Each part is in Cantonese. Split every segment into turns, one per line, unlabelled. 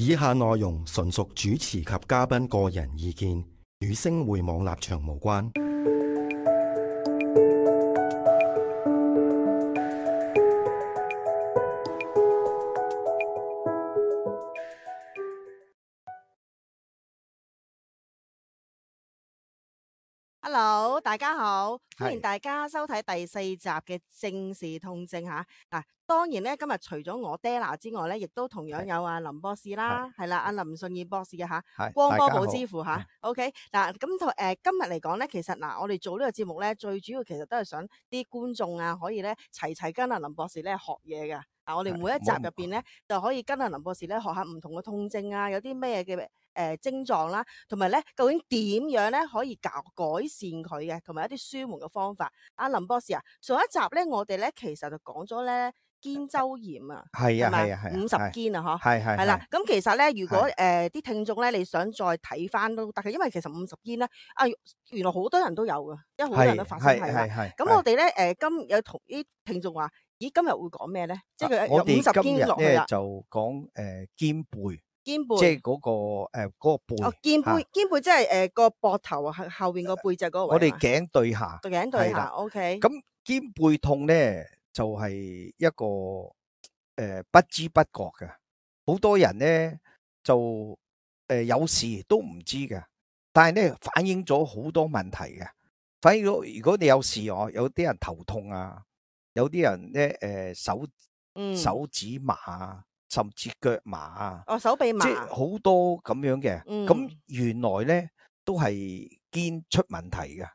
以下內容純屬主持及嘉賓個人意見，與星匯網立場無關。
Hello，大家好，歡迎
係
大家收睇第4集嘅正視痛症吓。嗱，當然咧，今日除咗我爹拿之外咧，亦都同樣有阿林博士啦，係啦，阿林順義博士嘅吓，光波寶之父吓。OK，嗱，咁今日嚟講咧，其實我哋做呢個節目咧，最主要其實都係想啲觀眾啊，可以咧齊跟阿林博士咧學嘢㗎。我哋每一集入邊咧，就可以跟阿林博士咧學下唔同嘅痛症啊，有啲咩嘅症狀啦，同埋咧究竟點樣咧可以改善佢嘅，同埋一啲舒緩嘅方法。阿林博士啊，上一集咧我哋咧其實就講咗咧肩周炎啊，
係啊，
咪
係啊，係
50肩啊，嗬，
係
啦。咁其實咧，如果啲聽眾咧，你想再睇翻都得嘅，因為其實50肩咧原來好多人都有㗎，因為好多人都發生係啦。咁我哋咧有同啲聽眾話，咦，今日會講咩咧？即係佢有50肩落去啦。
就講肩背，
肩背，
即係嗰個背。
哦，肩背即係個膊頭後邊個背脊嗰個位。
我哋頸對下，
頸對下 ，OK。
咁肩背痛咧，就係一個不知不覺嘅，好多人咧就有時都唔知嘅，但係咧反映咗好多問題嘅。反映咗，如果你有事有啲人頭痛啊，有啲人咧手指麻啊，甚至腳麻啊，
手臂麻，
即係好多咁樣嘅。咁原來咧都係肩出問題嘅。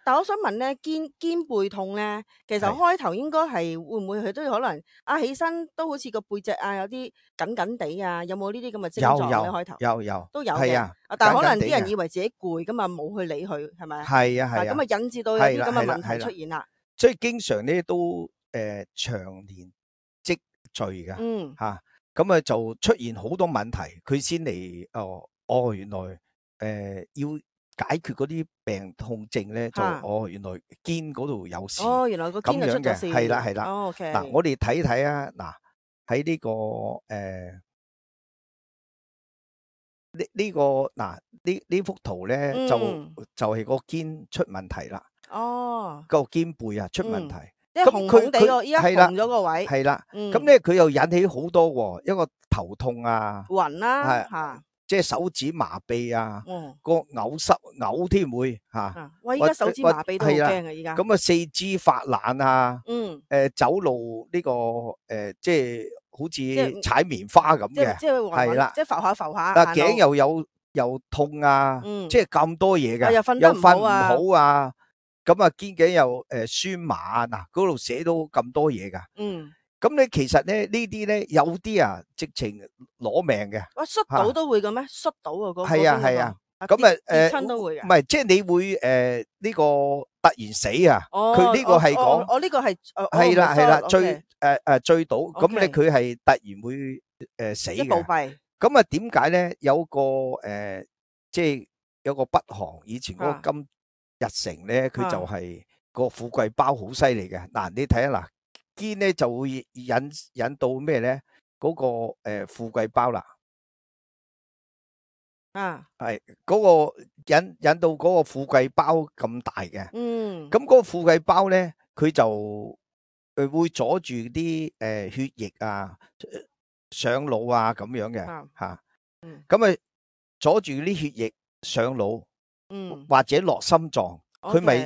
但我想問咧，肩背痛咧，其實開頭應該係會唔會佢都可能起身都好似個背脊有啲緊緊地啊？有冇呢啲咁嘅症狀咧？開頭
有
都有嘅。但係可能啲人以為自己攰咁啊，冇去理佢，係咪？
係啊，
咁啊引致到有啲咁嘅問題出現啦。
所以經常咧都長年積聚嘅。咁啊就出現好多問題，佢先嚟原來要解決嗰啲病痛症咧，就原來肩嗰度有事。
原來個肩就出咗事。
係啦。
OK。
嗱，我哋睇睇啊，嗱喺呢個呢個嗱呢幅圖咧，就係個肩出問題啦。個肩背出問題。
即係紅紅地個，依家紅咗個位。
係啦。咁咧佢又引起好多喎，一個頭痛啊，
暈啦，
即係手指麻痹啊，個嘔添會嚇。
哇！依家手指麻痹都好驚啊！依家
咁啊，四肢發冷啊，走路呢個即係好似踩棉花咁嘅，係啦，
即係浮下浮下。
但頸又痛啊，即係咁多嘢嘅，又瞓唔好啊，咁啊肩頸又酸麻啊，嗱嗰度寫到咁多嘢噶。咁你其實咧呢啲咧有啲直情攞命嘅。
摔倒都會嘅咩？摔倒啊，嗰個
係啊。咁
跌親都會嘅。
唔係，即係你會呢個突然死啊？佢呢個係講
呢個係
係啦，醉倒，咁咧佢係突然會死嘅。
暴斃。
咁啊點解咧？有個即係有個北韓以前嗰個金日成咧，佢就係個富貴包好犀利嘅。嗱，你睇下嗱，肩咧就會引到咩咧？嗰個富貴包啦。係嗰個引到嗰個富貴包咁大嘅。咁嗰個富貴包咧，佢就會阻住啲血液上腦啊咁樣嘅吓。咁阻住啲血液上腦，或者落心臟，佢咪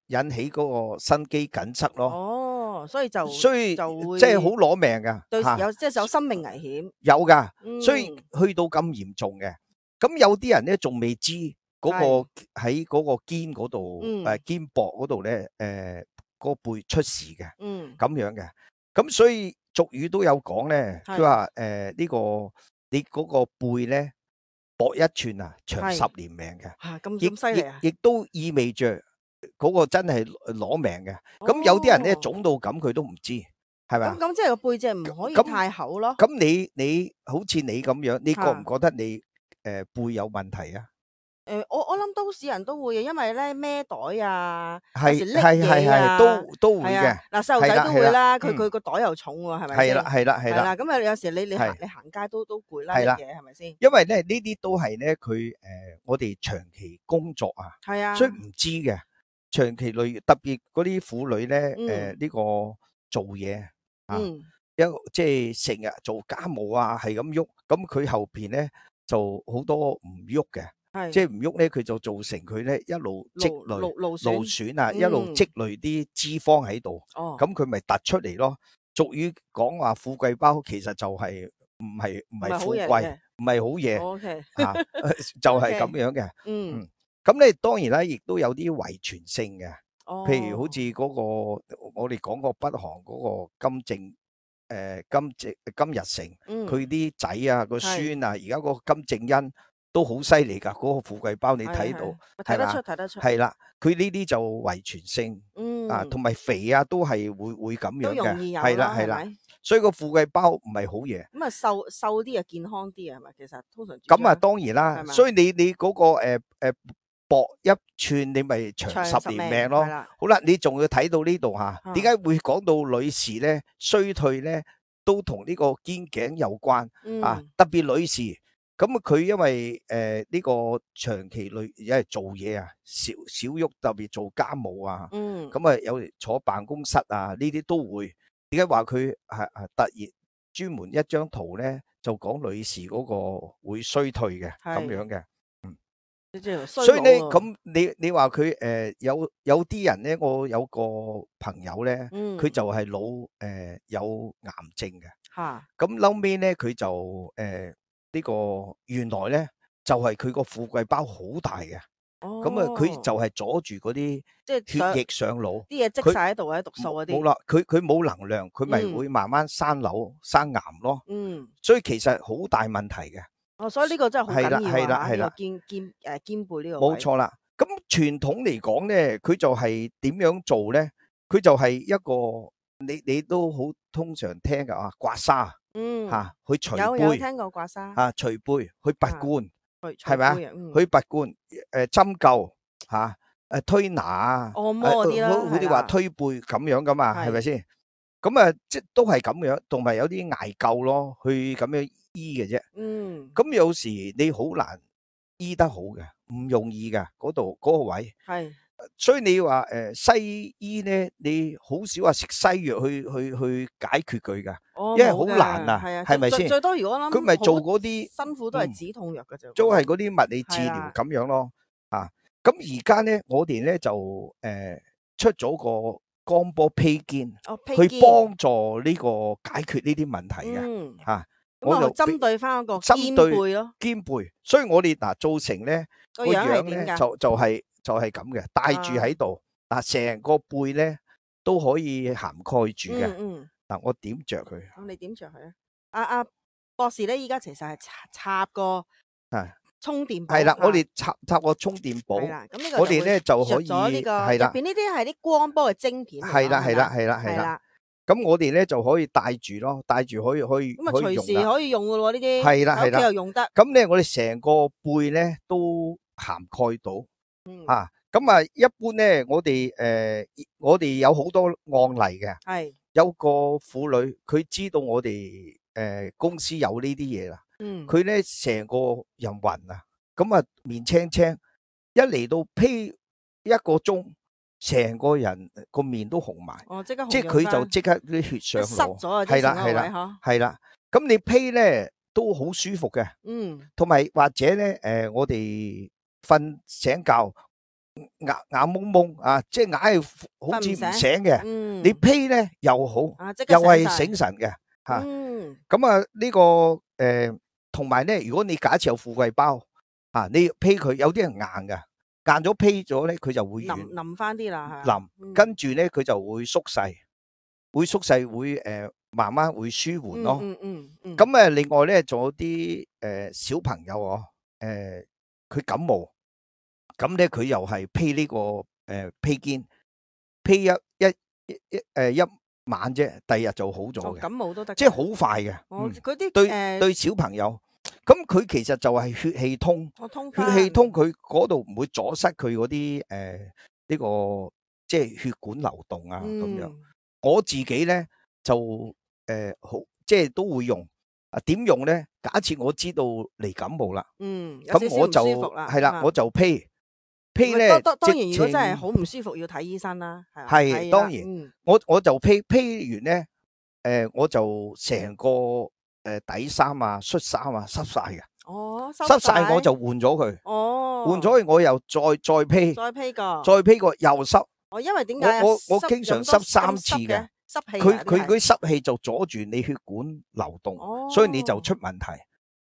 引起嗰個心肌梗塞咯。
所以就會
即係好攞命噶。
對，即係有生命危險。
有噶，所以去到咁嚴重嘅。咁有啲人咧仲未知嗰個喺嗰個肩嗰度肩膊嗰度咧個背出事嘅。咁樣嘅。咁所以俗語都有講咧，佢話呢個你嗰個背咧薄一寸長10年命嘅。
咁犀利啊！
亦都意味着嗰個真係攞命嘅。咁有啲人咧腫到咁佢都唔知，係咪啊？
咁即係個背脊唔可以太厚咯。
咁你好似你咁樣，你覺唔覺得你背有問題啊？
我諗都市人都會嘅，因為咧孭袋啊，有
係
時拎嘢啊，
都會嘅。
嗱細路仔都會啦，佢
係啦
個袋又重喎，係咪先？
係啦。
咁啊有時你
係
行街都攰啦，
係啦
拎嘢係咪先？
因為咧呢啲都係咧佢我哋長期工作啊，
係啊，
所以唔知嘅。長期累，特別嗰啲婦女咧，呢個做嘢啊，即係成日做家務啊，係咁喐，咁佢後邊咧就好多唔喐嘅，即係唔喐咧，佢就造成佢咧一路積累勞損啊，一路積累啲脂肪喺度，咁佢咪突出嚟咯。俗語講話富貴包，其實就係唔係富貴，唔係好嘢，啊，就係咁樣嘅，咁咧當然啦，亦都有啲遺傳性嘅，譬如好似嗰個我哋講過北韓嗰個金日成，佢啲仔啊個孫啊，而家嗰個金正恩都好犀利㗎，嗰個富貴包你睇到，
睇得出，
係啦，佢呢啲就遺傳性，啊，同埋肥啊都係會咁樣嘅，係啦，所以個富貴包唔係好嘢。
咁啊瘦啲啊健康啲啊係咪？其實通常
咁啊當然啦，所以你嗰個薄一寸你咪長10年命咯。好啦，你仲要睇到呢度吓，點解會講到女士咧衰退咧，都同呢個肩頸有關啊？特別女士，咁佢因為呢個長期因為做嘢啊，少喐，特別做家務啊，咁啊有坐辦公室啊，呢啲都會。點解話佢係突然專門一張圖咧，就講女士嗰個會衰退嘅咁樣嘅。所以咧，咁你話佢有啲人咧，我有個朋友咧，佢就係有癌症嘅，咁後尾咧佢就呢個原來咧就係佢個富貴包好大嘅，咁啊佢就係阻住嗰啲血液上腦，
啲嘢積晒喺度或者毒素嗰啲，
冇啦，佢冇能量，佢咪會慢慢生瘤生癌咯，所以其實好大問題嘅。
所以呢個真係好緊要啊！
係啦，
肩背呢個
冇錯啦。咁傳統嚟講咧，佢就係點樣做咧？佢就係一個你都好通常聽㗎啊，刮痧，嚇去除背，
有聽過刮痧
啊，除背去拔罐，係咪啊？去拔罐，針灸嚇，推拿啊，
按摩嗰啲啦，
好似話推背咁樣噶嘛，係咪先？咁啊，即都係咁樣，同埋有啲艾灸咯，去咁樣醫嘅啫。咁有時你好難醫得好嘅，唔容易㗎，嗰個位。係，所以你話西醫咧，你好少話食西藥去解決佢㗎，因為好難啊，係咪先？
最多如果諗
佢咪做嗰啲
辛苦都係止痛藥㗎啫，
都係嗰啲物理治療咁樣咯。啊，咁而家咧，我哋咧就出咗個光波披肩，去幫助呢個解決呢啲問題嘅，嚇。
我就針對翻嗰個肩背咯，
肩背，所以我哋嗱造成咧個樣咧就係咁嘅，戴住喺度，成個背咧都可以涵蓋住嘅。嗱，我點着佢？
你點着佢啊？阿博士咧，依家其實係插個充電寶，
係啦，我哋插個充電寶，
咁
我哋咧就可以
係啦，入邊呢啲係啲光波嘅晶片，
係啦。咁我哋咧就可以戴住咯，戴住可以
咁啊，隨時可以用噶咯呢啲，
係啦，
屋企又用得。
咁咧我哋成個背咧都涵蓋到，咁啊一般咧我哋有好多案例嘅，係有個婦女佢知道我哋公司有呢啲嘢啦，佢咧成個人暈啊，咁啊面青青，一嚟到披一個鐘。成個人個面都紅埋，
即刻紅，
即係佢就即刻啲血上腦，
係
啦，咁你披咧都好舒服嘅，同埋或者咧我哋瞓醒覺眼蒙蒙啊，即係硬係好似唔醒嘅，你披咧又好，又係醒神嘅嚇，咁啊呢個同埋咧，如果你假設有富貴包啊，你披佢有啲人硬㗎。硬咗披咗咧，佢就會
腍翻啲啦，
跟住咧佢就會縮細，會慢慢會舒緩咯。咁另外咧仲有啲小朋友佢感冒，咁咧佢又係披呢個披肩，披一晚啫，第二日就好咗嘅。
感冒都得，
即係好快嘅。
嗰啲
對小朋友。咁佢其實就係血氣通，血氣通佢嗰度唔會阻塞佢嗰啲呢個即係血管流動啊咁樣。我自己咧就好即係都會用。點用咧？假設我知道嚟感冒啦，咁我就係啦，我就披咧。
當然，如果真係好唔舒服，要睇醫生啦。
係當然，我就披完咧，我就成個底衫啊、恤衫啊濕晒嘅。
哦，
濕晒我就換咗佢。
哦，
換咗佢我又再披，再披過又濕。
因為點解
我經常濕3次嘅。
濕氣，
佢嗰啲濕氣就阻住你血管流動，所以你就出問題。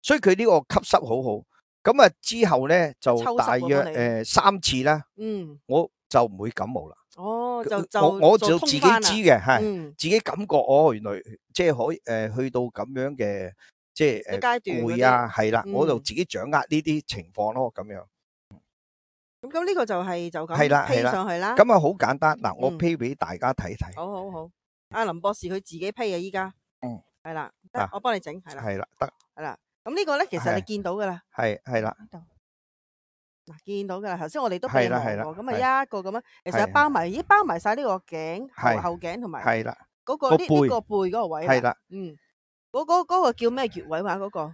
所以佢呢個吸濕好好。咁啊之後咧就大約3次啦。我就唔會感冒啦。
我
就自己知嘅，係自己感覺原來即係可以去到咁樣嘅即係攰啊，係啦，我就自己掌握呢啲情況咯，咁樣。
咁呢個就咁披上去啦。
咁啊好簡單嗱，我披俾大家睇睇。
好。阿林博士佢自己披啊，依家。係啦，得我幫你整，係啦。
係啦，得。
係啦，咁呢個咧其實你見到噶啦。
係啦。
嗱，見到噶啦，頭先我哋都備忘過，咁啊一個咁樣，其實包埋晒呢個頸後頸同埋嗰個呢個背嗰個位。係啦，嗰個叫咩穴位話嗰個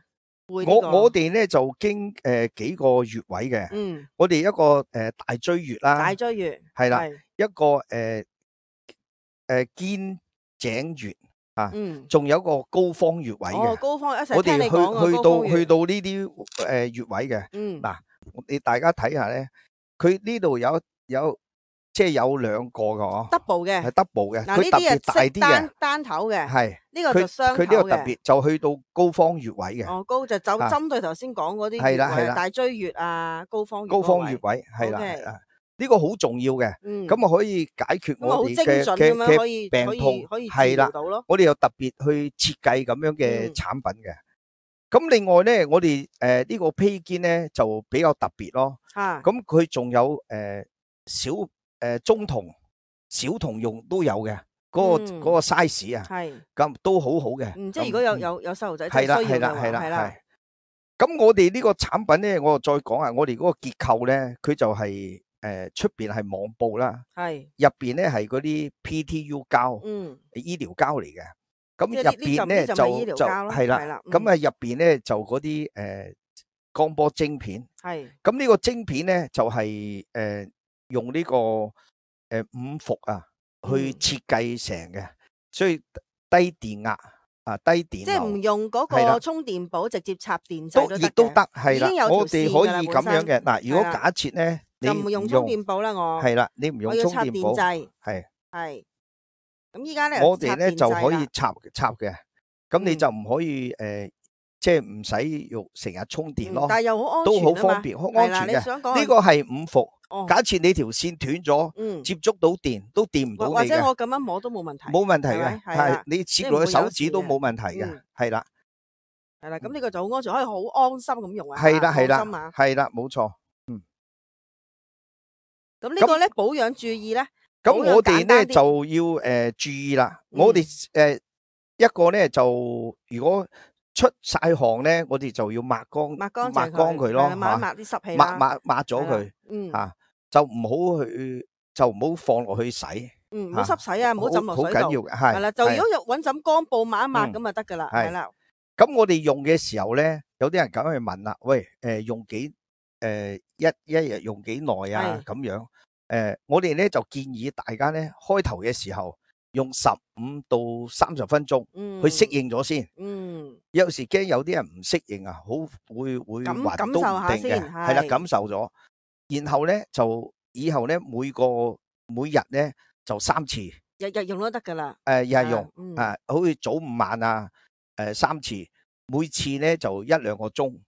背？
我哋咧就經幾個穴位嘅。我哋一個大椎穴啦。
大椎穴
係啦，一個肩井穴啊，仲有一個高方穴位嘅。
高方一齊
我哋去到呢啲穴位嘅。嗱，你大家睇下咧，佢呢度有即係有2個嘅
double 嘅，
係 double 嘅，佢特別大啲嘅，
單頭嘅，
係
呢個就雙頭嘅。
佢呢個特別就去到高方穴位嘅。
高就針對頭先講嗰啲穴位，大椎穴啊，高方
穴位係啦。呢個好重要嘅，咁啊可以解決我哋嘅病痛，係啦。我哋又特別去設計咁樣嘅產品嘅。咁另外咧，我哋呢個披肩咧就比較特別咯。咁佢仲有中筒、小筒用都有嘅，嗰個 size 啊，咁都好好嘅。
即係如果有細路仔需要嘅話，係啦。
咁我哋呢個產品咧，我再講下，我哋嗰個結構咧，佢就係出邊係網布啦，入邊咧係嗰啲 PTU 膠，醫療膠嚟嘅。咁入邊咧就係啦，咁啊入邊咧就嗰啲光波晶片，咁呢個晶片咧就係用呢個5伏啊去設計成嘅，所以低電壓啊，低電流，
即係唔用嗰個充電寶，直接插電掣都得嘅，
亦都得，係啦，我哋可以咁樣嘅。嗱，如果假設咧，你
唔用充電寶啦，我
係啦，你唔用充電寶，
係。咁依家咧，
我哋咧就可以插嘅，咁你就唔可以即係唔使用成日充電咯，
但係又好安全，
都好方便，好安全嘅。呢個係5伏，假設你條線斷咗，接觸到電都電唔到你嘅。
或者我咁樣摸都冇問題，
冇問題嘅，係你接落去手指都冇問題嘅，係啦，
係啦。咁呢個就好安全，可以好安心咁用啊。
係啦，係啦，冇錯。
咁呢個咧保養注意咧。
咁我哋咧就要注意啦，我哋一個咧就如果出晒汗咧，我哋就要抹乾佢咯，
抹啲濕氣，
抹咗佢，吓就唔好放落去洗，
唔好濕洗啊，唔好浸落水度，
好緊要嘅，係
啦，就如果揾枕乾布抹一抹咁就得噶啦，係啦。
咁我哋用嘅時候咧，有啲人咁去問啦，喂，用一日用幾耐啊？咁樣。我哋咧就建議大家咧開頭嘅時候用15到30分鐘去適應咗先。有時驚有啲人唔適應啊，會暈都唔定嘅，係啦，感受咗。然後咧就以後咧每日咧就3次，
日日用都得噶啦。
日日用好似早午晚啊，3次，每次咧就1-2個鐘。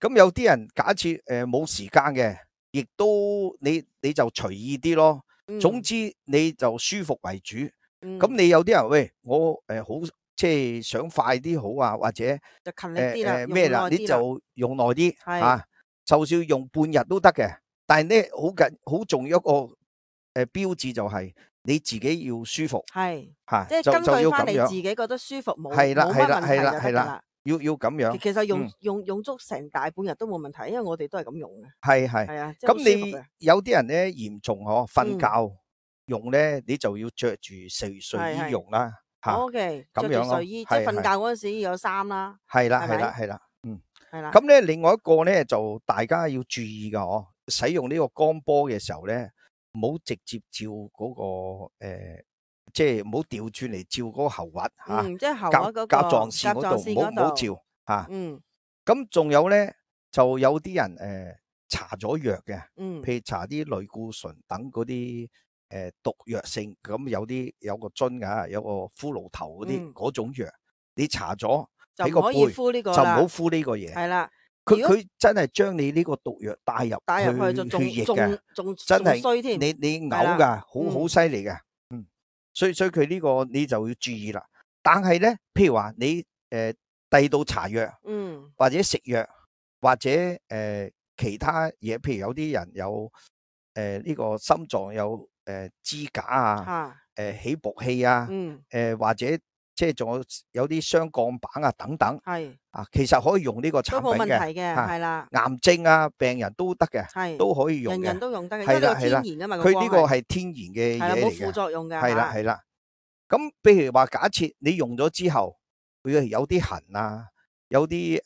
咁有啲人假設冇時間嘅。亦都你就隨意啲咯，總之你就舒服為主。咁你有啲人喂，我好即係想快啲好啊，或者
就勤力啲啦，
咩啦，你就用耐啲吓，就算用半日都得嘅。但係咧好重要一個標誌就係你自己要舒服，
係吓，即係根據翻你自己覺得舒服冇乜問題就得啦。
要咁樣。
其實用足成大半日都冇問題，因為我哋都係咁用嘅。係啊，即係好
咁
舒服嘅。
你有啲人咧嚴重瞓覺用咧，你就要着住睡衣用啦。
OK，着住睡衣，即係瞓覺嗰陣時要有衫啦。
係啦。
係啦。
咁咧，另外一個咧就大家要注意噶，使用呢個光波嘅時候咧，唔好直接照嗰個即係唔好調轉嚟照嗰個喉核吓，
即係喉核嗰個
甲狀腺嗰度唔好照吓。咁仲有咧，就有啲人搽咗藥嘅，譬如搽啲類固醇等嗰啲毒藥性，咁有個樽噶，有個骷髏頭嗰啲嗰種藥，你搽咗喺個背就唔好敷呢個嘢。
係啦，
佢真係將你呢個毒藥帶入去血液嘅，真係你嘔噶，好犀利嘅。所以佢呢個你就要注意啦。但係咧，譬如話你第度搽藥，或者食藥，或者其他嘢，譬如有啲人有呢個心臟有支架啊，起搏器啊，或者即係仲有啲雙鋼板啊等等，其實可以用呢個產品嘅，
係啦，
癌症啊病人都得嘅，都可以用嘅，
人人都用得嘅，因為呢個天然噶嘛，
佢呢個係天然嘅嘢嚟嘅，
冇副作用嘅，
係啦。咁譬如話假設你用咗之後，會有啲痕啊，有啲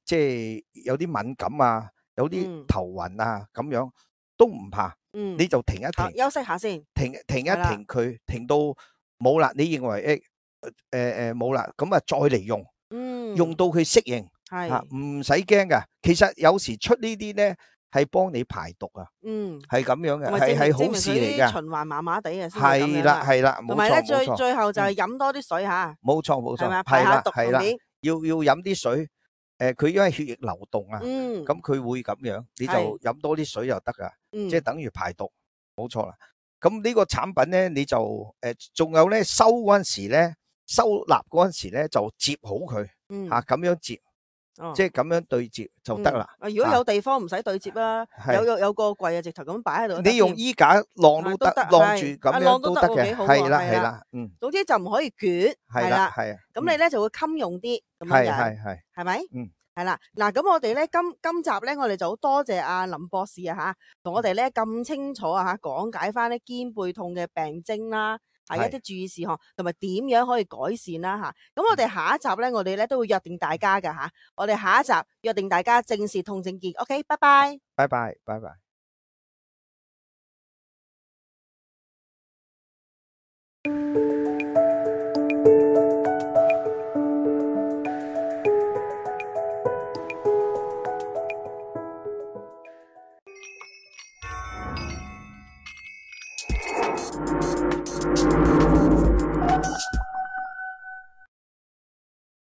即係有啲敏感啊，有啲頭暈啊咁樣，都唔怕，你就停一停，
休息下先，
停一停佢，停到冇啦，你認為冇啦，咁啊再嚟用，用到佢適應，唔使驚噶。其實有時出呢啲咧係幫你排毒啊，係咁樣嘅，係好事嚟嘅。
循環麻麻地啊，
係啦，
同埋咧最後就係飲多啲水吓，
冇錯，
排下毒順便，
要飲啲水。佢因為血液流動啊，咁佢會咁樣，你就飲多啲水就得噶，即係等於排毒，冇錯啦。咁呢個產品咧，你就仲有咧收嗰陣時咧，收納嗰陣時咧就接好佢，咁樣接，即係咁樣對接就得啦。
如果有地方唔使對接啦，有個櫃啊，直頭咁擺喺度。
你用衣架晾都得，晾住咁樣都得嘅，係啦，
總之就唔可以捲，係啦，咁你咧就會襟用啲咁樣，係咪？係啦，嗱，咁我哋咧今集咧，我哋就好多謝阿林博士啊吓，同我哋咧咁清楚啊吓，講解翻啲肩背痛嘅病徵啦，係一啲注意事項，同埋點樣可以改善啦吓。咁我哋下一集咧，我哋咧都會約定大家噶吓，我哋下一集約定大家正視痛症結。OK， 拜拜，
拜拜，拜拜。